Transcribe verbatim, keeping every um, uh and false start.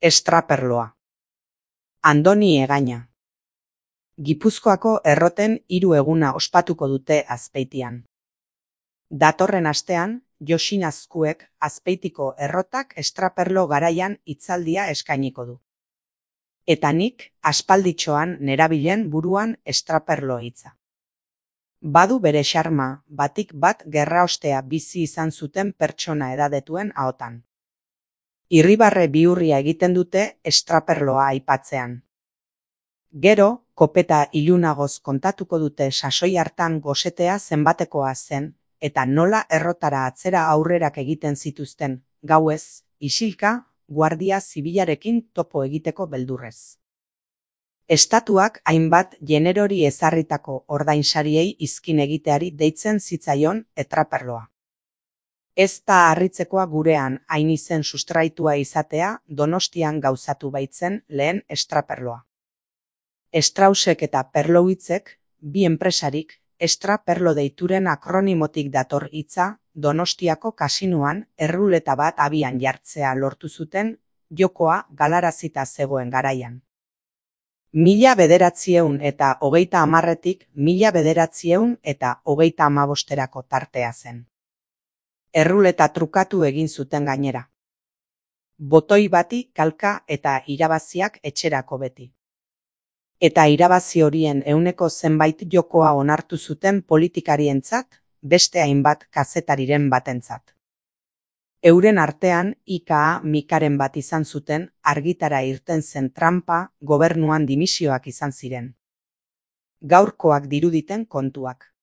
Estraperloa. Andoni Egaña. Gipuzkoako erroten hiru eguna ospatuko dute Azpeitian. Datorren astean, Joxin Azkuek Azpeitiko errotak estraperlo garaian hitzaldia eskainiko du. Eta nik aspalditxoan nerabilen buruan estraperlo hitza. Badu bere xarma, batik bat gerraostea bizi izan zuten pertsona edadetuen ahotan. Irribarre bihurria egiten dute estraperloa aipatzean. Gero, kopeta ilunagoz kontatuko dute sasoi hartan gosetea zenbatekoa zen, eta nola errotara atzera aurrerak egiten zituzten, gauez, isilka, guardia zibilarekin topo egiteko beldurrez. Estatuak hainbat generori ezarritako ordainsariei izkin egiteari deitzen zitzaion estraperloa. Ez da harritzekoa gurean hain izen sustraitua izatea Donostian gauzatu baitzen lehen estraperloa. Strausek eta Perlowitzek, bi enpresarik, estraperlo deituren akronimotik dator hitza, Donostiako kasinoan erruleta bat abian jartzea lortu zuten, jokoa galarazita zegoen garaian. Mila bederatziehun eta hogeita hamarretik mila bederatziehun eta hogeita hamabosterako tartea zen. Erruleta trukatu egin zuten gainera. Botoi bati kalka eta irabaziak etxerako beti. Eta irabazi horien ehuneko zenbait jokoa onartu zuten politikarientzat, beste hainbat kazetariren batentzat. Euren artean I K A mikaren bat izan zuten argitara irten zen tranpa gobernuan dimisioak izan ziren. Gaurkoak diruditen kontuak.